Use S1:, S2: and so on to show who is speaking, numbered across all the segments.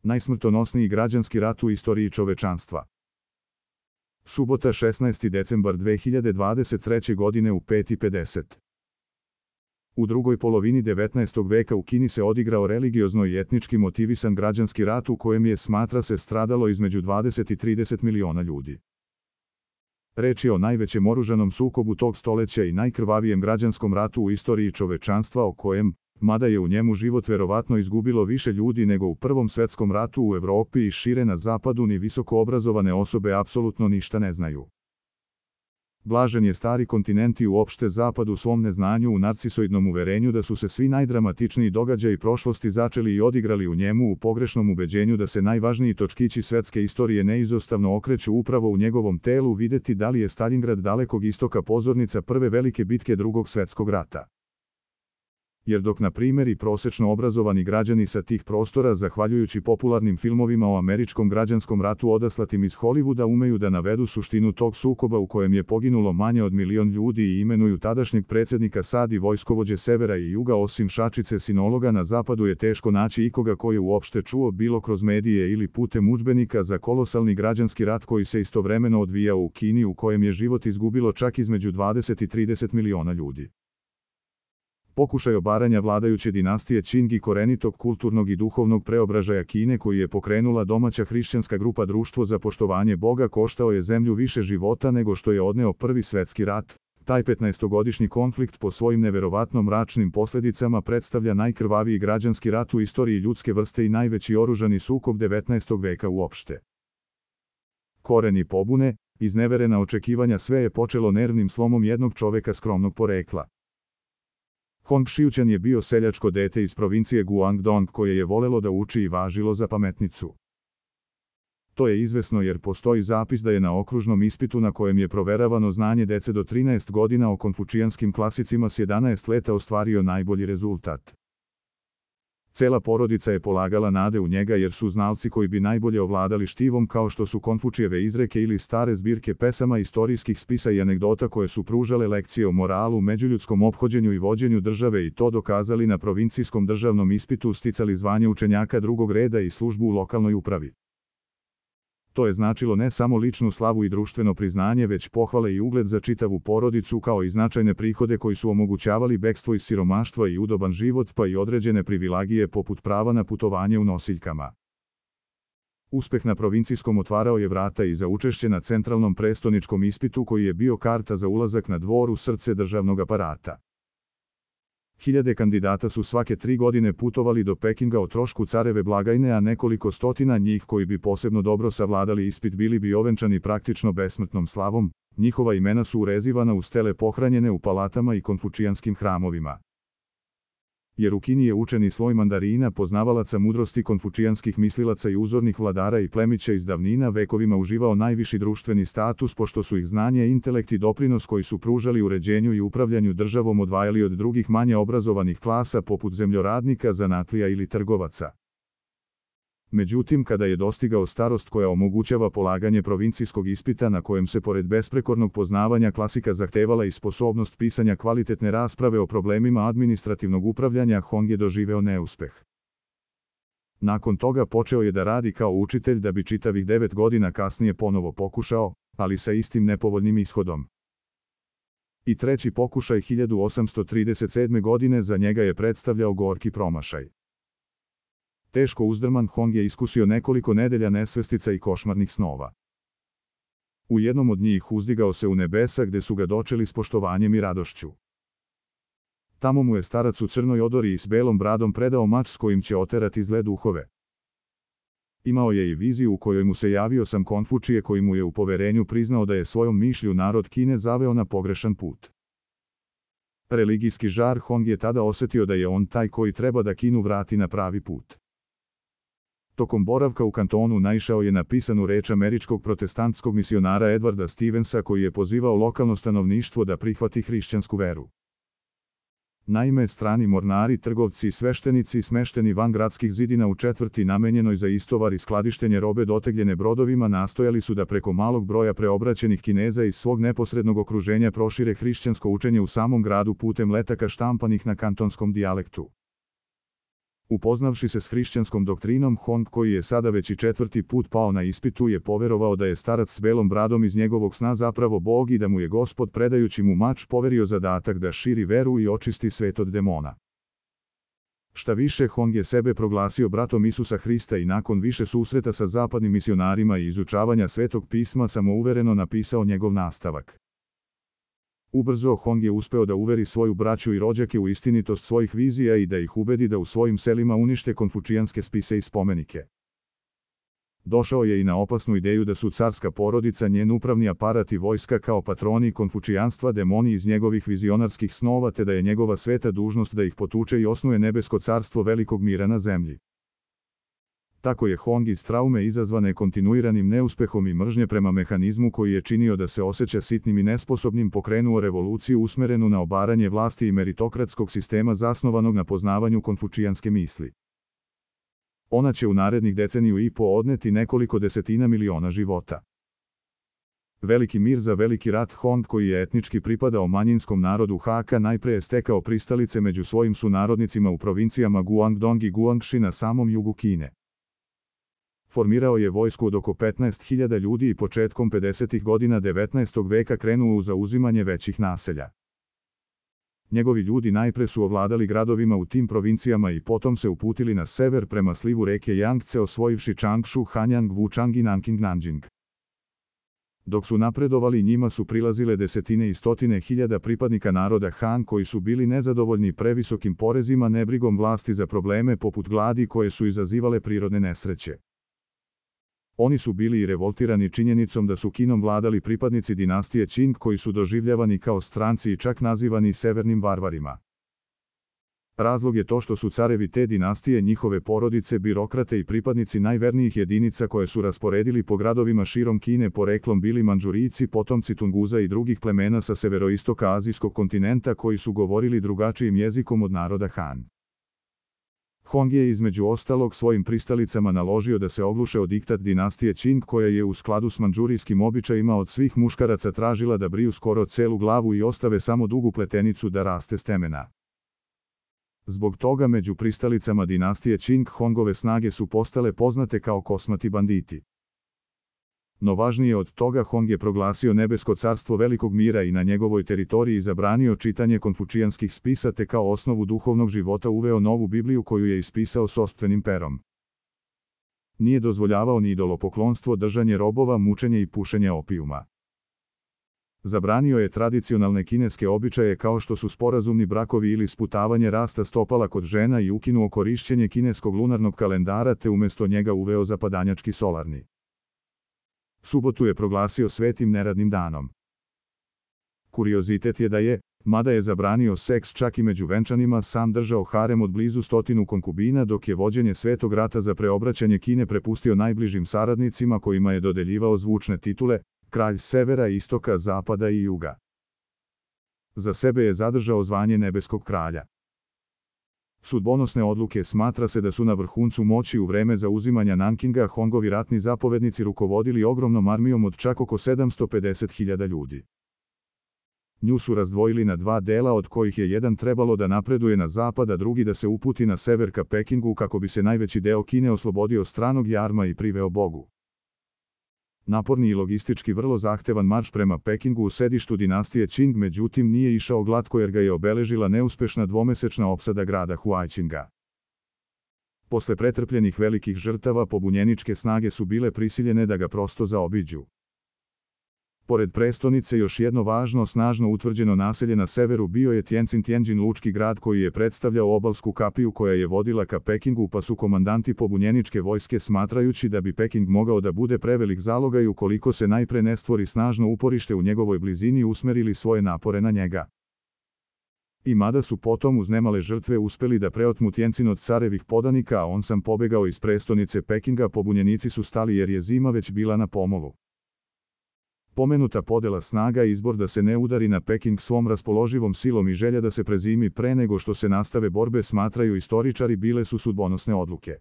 S1: Najsmrtonosniji građanski rat u istoriji čovečanstva. Subota 16. decembar 2023. godine u 5:50. U drugoj polovini 19. veka u Kini se odigrao religiozno i etnički motivisan građanski rat u kojem je, smatra se, stradalo između 20 i 30 miliona ljudi. Reč je o najvećem oružanom sukobu tog stoleća i najkrvavijem građanskom ratu u istoriji čovečanstva o kojem, mada je u njemu život verovatno izgubilo više ljudi nego u Prvom svetskom ratu u Evropi i šire na zapadu, ni visoko obrazovane osobe apsolutno ništa ne znaju. Blažen je stari kontinent i uopšte zapad u svom neznanju u narcisoidnom uverenju da su se svi najdramatičniji događaji prošlosti začeli i odigrali u njemu u pogrešnom ubeđenju da se najvažniji točkići svetske istorije neizostavno okreću upravo u njegovom telu, videti da li je Staljingrad dalekog istoka pozornica prve velike bitke Drugog svetskog rata. Jer dok na primjer i prosečno obrazovani građani sa tih prostora, zahvaljujući popularnim filmovima o američkom građanskom ratu odaslatim iz Hollywooda, umeju da navedu suštinu tog sukoba u kojem je poginulo manje od 1.000.000 ljudi i imenuju tadašnjeg predsjednika SAD i vojskovođe severa i juga, osim šačice sinologa na zapadu je teško naći ikoga ko je uopšte čuo, bilo kroz medije ili putem udžbenika, za kolosalni građanski rat koji se istovremeno odvijao u Kini, u kojem je život izgubilo čak između 20 i 30 miliona ljudi. Pokušaj obaranja vladajuće dinastije Qing i korenitog kulturnog i duhovnog preobražaja Kine koji je pokrenula domaća hrišćanska grupa Društvo za poštovanje Boga koštao je zemlju više života nego što je odneo Prvi svetski rat. Taj 15-godišnji konflikt po svojim neverovatno mračnim posljedicama predstavlja najkrvaviji građanski rat u istoriji ljudske vrste i najveći oružani sukob 19. veka uopšte. Koreni pobune, izneverena očekivanja, sve je počelo nervnim slomom jednog čoveka skromnog porekla. Hong Xiuquan je bio seljačko dete iz provincije Guangdong koje je volelo da uči i važilo za pametnicu. To je izvesno jer postoji zapis da je na okružnom ispitu na kojem je proveravano znanje dece do 13 godina o konfučijanskim klasicima s 11 leta ostvario najbolji rezultat. Cela porodica je polagala nade u njega jer su znalci koji bi najbolje ovladali štivom, kao što su Konfučijeve izreke ili stare zbirke pesama, istorijskih spisa i anegdota koje su pružale lekcije o moralu, međuljudskom ophođenju i vođenju države i to dokazali na provincijskom državnom ispitu, sticali zvanje učenjaka drugog reda i službu u lokalnoj upravi. To je značilo ne samo ličnu slavu i društveno priznanje, već pohvale i ugled za čitavu porodicu, kao i značajne prihode koji su omogućavali bekstvo iz siromaštva i udoban život, pa i određene privilegije poput prava na putovanje u nosiljkama. Uspeh na provincijskom otvarao je vrata i za učešće na centralnom prestoničkom ispitu koji je bio karta za ulazak na dvor u srce državnog aparata. Hiljade kandidata su svake 3 godine putovali do Pekinga o trošku careve blagajne, a nekoliko stotina njih koji bi posebno dobro savladali ispit bili bi ovenčani praktično besmrtnom slavom, njihova imena su urezivana u stele pohranjene u palatama i konfučijanskim hramovima. Jer u Kini je učeni sloj mandarina, poznavalaca mudrosti konfučijanskih mislilaca i uzornih vladara i plemića iz davnina, vekovima uživao najviši društveni status, pošto su ih znanje, intelekt i doprinos koji su pružali uređenju i upravljanju državom odvajali od drugih manje obrazovanih klasa poput zemljoradnika, zanatlija ili trgovaca. Međutim, kada je dostigao starost koja omogućava polaganje provincijskog ispita na kojem se pored besprekornog poznavanja klasika zahtevala i sposobnost pisanja kvalitetne rasprave o problemima administrativnog upravljanja, Hong je doživeo neuspeh. Nakon toga počeo je da radi kao učitelj da bi čitavih 9 godina kasnije ponovo pokušao, ali sa istim nepovoljnim ishodom. I treći pokušaj 1837. godine za njega je predstavljao gorki promašaj. Teško uzdrman, Hong je iskusio nekoliko nedelja nesvestica i košmarnih snova. U jednom od njih uzdigao se u nebesa gde su ga dočeli s poštovanjem i radošću. Tamo mu je starac u crnoj odori i s belom bradom predao mač s kojim će oterati zle duhove. Imao je i viziju u kojoj mu se javio sam Konfučije koji mu je u poverenju priznao da je svojom mišlju narod Kine zaveo na pogrešan put. Religijski žar, Hong je tada osetio da je on taj koji treba da Kinu vrati na pravi put. Tokom boravka u kantonu naišao je na pisanu reč američkog protestantskog misionara Edwarda Stevensa koji je pozivao lokalno stanovništvo da prihvati hrišćansku veru. Naime, strani mornari, trgovci i sveštenici smešteni van gradskih zidina u četvrti namenjenoj za istovar i skladištenje robe dotegljene brodovima nastojali su da preko malog broja preobraćenih Kineza iz svog neposrednog okruženja prošire hrišćansko učenje u samom gradu putem letaka štampanih na kantonskom dijalektu. Upoznavši se s hrišćanskom doktrinom, Hong, koji je sada već i 4. put pao na ispitu, je poverovao da je starac s belom bradom iz njegovog sna zapravo Bog i da mu je Gospod, predajući mu mač, poverio zadatak da širi veru i očisti svet od demona. Šta više, Hong je sebe proglasio bratom Isusa Hrista i nakon više susreta sa zapadnim misionarima i izučavanja Svetog pisma samouvereno napisao njegov nastavak. Ubrzo Hong je uspeo da uveri svoju braću i rođake u istinitost svojih vizija i da ih ubedi da u svojim selima unište konfučijanske spise i spomenike. Došao je i na opasnu ideju da su carska porodica, njen upravni aparat i vojska kao patroni konfučijanstva demoni iz njegovih vizionarskih snova, te da je njegova sveta dužnost da ih potuče i osnuje nebesko carstvo velikog mira na zemlji. Tako je Hong iz traume izazvane kontinuiranim neuspehom i mržnje prema mehanizmu koji je činio da se osjeća sitnim i nesposobnim pokrenuo revoluciju usmerenu na obaranje vlasti i meritokratskog sistema zasnovanog na poznavanju konfučijanske misli. Ona će u narednih deceniju i po odneti nekoliko desetina miliona života. Veliki mir za veliki rat. Hong, koji je etnički pripadao manjinskom narodu Hakka, najpre je stekao pristalice među svojim sunarodnicima u provincijama Guangdong i Guangxi na samom jugu Kine. Formirao je vojsku od oko 15.000 ljudi i početkom 50. godina 19. veka krenuo u zauzimanje većih naselja. Njegovi ljudi najpre su ovladali gradovima u tim provincijama i potom se uputili na sever prema slivu reke Yangtze, osvojivši Changshu, Hanyang, Wuchang i Nanking Nanjing. Dok su napredovali, njima su prilazile desetine i stotine hiljada pripadnika naroda Han koji su bili nezadovoljni previsokim porezima, nebrigom vlasti za probleme poput gladi koje su izazivale prirodne nesreće. Oni su bili i revoltirani činjenicom da su Kinom vladali pripadnici dinastije Qing koji su doživljavani kao stranci i čak nazivani severnim varvarima. Razlog je to što su carevi te dinastije, njihove porodice, birokrate i pripadnici najvernijih jedinica koje su rasporedili po gradovima širom Kine poreklom bili Mandžurijci, potomci Tunguza i drugih plemena sa severoistoka azijskog kontinenta koji su govorili drugačijim jezikom od naroda Han. Hong je između ostalog svojim pristalicama naložio da se ogluše o diktat dinastije Qing, koja je u skladu s mandžurijskim običajima od svih muškaraca tražila da briju skoro celu glavu i ostave samo dugu pletenicu da raste s temena. Zbog toga među pristalicama dinastije Qing Hongove snage su postale poznate kao kosmati banditi. No važnije od toga, Hong je proglasio nebesko carstvo velikog mira i na njegovoj teritoriji zabranio čitanje konfučijanskih spisa, te kao osnovu duhovnog života uveo novu Bibliju koju je ispisao sopstvenim perom. Nije dozvoljavao ni idolopoklonstvo, držanje robova, mučenje i pušenje opijuma. Zabranio je tradicionalne kineske običaje kao što su sporazumni brakovi ili sputavanje rasta stopala kod žena i ukinuo korišćenje kineskog lunarnog kalendara, te umjesto njega uveo zapadanjački solarni. Subotu je proglasio svetim neradnim danom. Kuriozitet je da je, mada je zabranio seks čak i među venčanima, sam držao harem od blizu 100 konkubina, dok je vođenje svetog rata za preobraćanje Kine prepustio najbližim saradnicima kojima je dodeljivao zvučne titule, kralj severa, istoka, zapada i juga. Za sebe je zadržao zvanje nebeskog kralja. Sudbonosne odluke. Smatra se da su na vrhuncu moći u vreme zauzimanja Nankinga Hongovi ratni zapovednici rukovodili ogromnom armijom od čak oko 750.000 ljudi. Nju su razdvojili na dva dela, od kojih je jedan trebalo da napreduje na zapad, a drugi da se uputi na sever ka Pekingu kako bi se najveći deo Kine oslobodio stranog jarma i priveo Bogu. Naporni i logistički vrlo zahtevan marš prema Pekingu, u sedištu dinastije Qing, međutim nije išao glatko jer ga je obeležila neuspešna dvomesečna opsada grada Huaiqinga. Posle pretrpljenih velikih žrtava, pobunjeničke snage su bile prisiljene da ga prosto zaobiđu. Pored prestonice, još jedno važno, snažno utvrđeno naselje na severu bio je Tianjin, lučki grad koji je predstavljao obalsku kapiju koja je vodila ka Pekingu, pa su komandanti pobunjeničke vojske, smatrajući da bi Peking mogao da bude prevelik zalogaj ukoliko se najpre ne stvori snažno uporište u njegovoj blizini, usmerili svoje napore na njega. I mada su potom uz nemale žrtve uspeli da preotmu Tianjin od carevih podanika, a on sam pobegao iz prestonice Pekinga, pobunjenici su stali jer je zima već bila na pomolu. Pomenuta podela snaga i izbor da se ne udari na Peking svom raspoloživom silom i želja da se prezimi pre nego što se nastave borbe, smatraju istoričari, bile su sudbonosne odluke.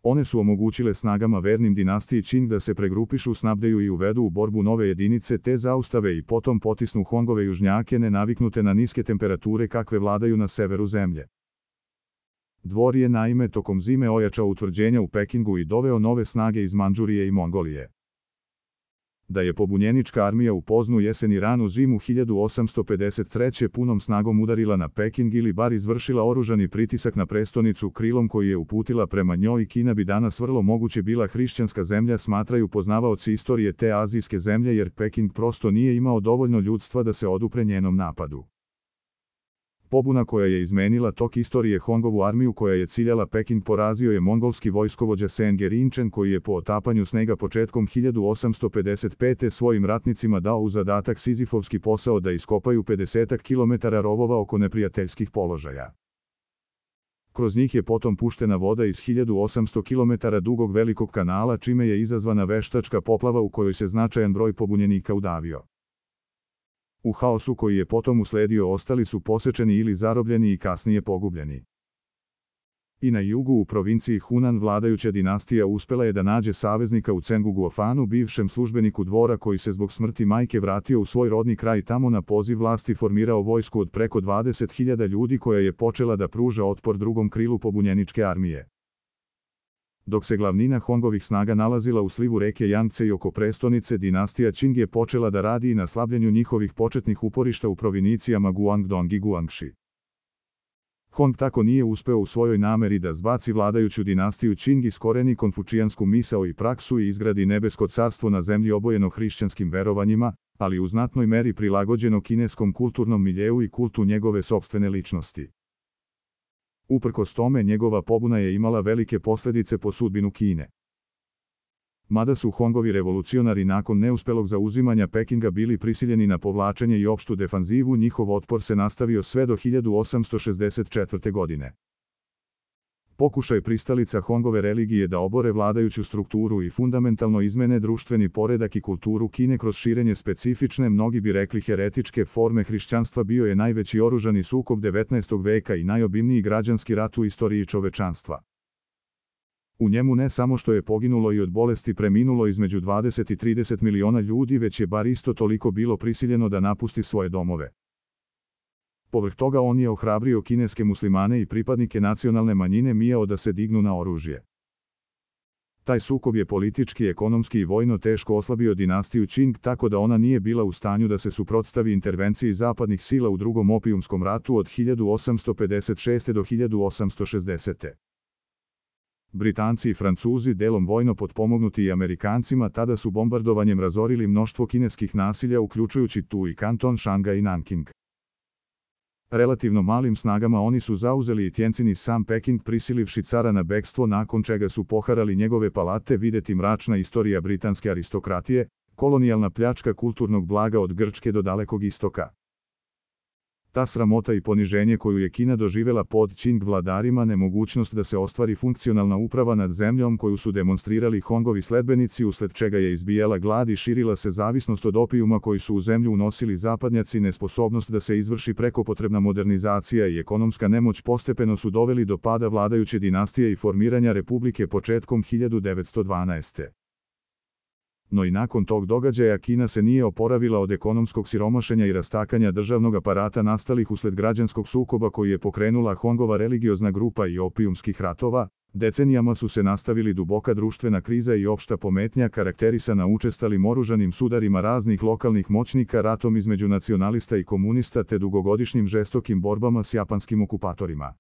S1: One su omogućile snagama vernim dinastiji Qing da se pregrupišu, snabdeju i uvedu u borbu nove jedinice, te zaustave i potom potisnu Hongove južnjake nenaviknute na niske temperature kakve vladaju na severu zemlje. Dvor je naime tokom zime ojačao utvrđenja u Pekingu i doveo nove snage iz Mandžurije i Mongolije. Da je pobunjenička armija u poznu jesen i ranu zimu 1853. punom snagom udarila na Peking ili bar izvršila oružani pritisak na prestonicu krilom koji je uputila prema njoj, Kina bi danas vrlo moguće bila hrišćanska zemlja, smatraju poznavaoci istorije te azijske zemlje, jer Peking prosto nije imao dovoljno ljudstva da se odupre njenom napadu. Pobuna koja je izmenila tok istorije, Hongovu armiju koja je ciljala Peking, porazio je mongolski vojskovođa Sen Gerinchen, koji je po otapanju snega početkom 1855. svojim ratnicima dao u zadatak sizifovski posao da iskopaju 50 km rovova oko neprijateljskih položaja. Kroz njih je potom puštena voda iz 1800 km dugog velikog kanala, čime je izazvana veštačka poplava u kojoj se značajan broj pobunjenika udavio. U haosu koji je potom usledio ostali su posečeni ili zarobljeni i kasnije pogubljeni. I na jugu u provinciji Hunan vladajuća dinastija uspela je da nađe saveznika u Cengu Guofanu, bivšem službeniku dvora koji se zbog smrti majke vratio u svoj rodni kraj, tamo na poziv vlasti formirao vojsku od preko 20.000 ljudi koja je počela da pruža otpor drugom krilu pobunjeničke armije. Dok se glavnina Hongovih snaga nalazila u slivu reke Jangce i oko prestonice, dinastija Qing je počela da radi i na slabljenju njihovih početnih uporišta u provincijama Guangdong i Guangxi. Hong tako nije uspeo u svojoj nameri da zbaci vladajuću dinastiju Qing, iskoreni konfučijansku misao i praksu i izgradi nebesko carstvo na zemlji obojeno hrišćanskim verovanjima, ali u znatnoj meri prilagođeno kineskom kulturnom miljeu i kultu njegove sopstvene ličnosti. Uprkos tome, njegova pobuna je imala velike posljedice po sudbinu Kine. Mada su Hongovi revolucionari nakon neuspelog zauzimanja Pekinga bili prisiljeni na povlačenje i opštu defanzivu, njihov otpor se nastavio sve do 1864. godine. Pokušaj pristalica Hongove religije da obore vladajuću strukturu i fundamentalno izmene društveni poredak i kulturu Kine kroz širenje specifične, mnogi bi rekli heretičke forme hrišćanstva, bio je najveći oružani sukob 19. veka i najobimniji građanski rat u istoriji čovečanstva. U njemu ne samo što je poginulo i od bolesti preminulo između 20 i 30 miliona ljudi, već je bar isto toliko bilo prisiljeno da napusti svoje domove. Povrh toga on je ohrabrio kineske muslimane i pripadnike nacionalne manjine Miao da se dignu na oružje. Taj sukob je politički, ekonomski i vojno teško oslabio dinastiju Qing, tako da ona nije bila u stanju da se suprotstavi intervenciji zapadnih sila u drugom opijumskom ratu od 1856. do 1860. Britanci i Francuzi, delom vojno potpomognuti i Amerikancima, tada su bombardovanjem razorili mnoštvo kineskih nasilja, uključujući tu i kanton Šangaj i Nanking. Relativno malim snagama oni su zauzeli i Tjencin i sam Peking, prisilivši cara na bekstvo, nakon čega su poharali njegove palate. Videti mračna istorija britanske aristokratije, kolonijalna pljačka kulturnog blaga od Grčke do Dalekog istoka. Ta sramota i poniženje koju je Kina doživela pod Qing vladarima, nemogućnost da se ostvari funkcionalna uprava nad zemljom koju su demonstrirali Hongovi sledbenici, usled čega je izbijala glad i širila se zavisnost od opijuma koji su u zemlju unosili zapadnjaci, nesposobnost da se izvrši prekopotrebna modernizacija i ekonomska nemoć postepeno su doveli do pada vladajuće dinastije i formiranja republike početkom 1912. No i nakon tog događaja Kina se nije oporavila od ekonomskog siromašenja i rastakanja državnog aparata nastalih usled građanskog sukoba koji je pokrenula Hongova religiozna grupa i opijumskih ratova. Decenijama su se nastavili duboka društvena kriza i opšta pometnja, karakterisana učestalim oružanim sudarima raznih lokalnih moćnika, ratom između nacionalista i komunista te dugogodišnjim žestokim borbama s japanskim okupatorima.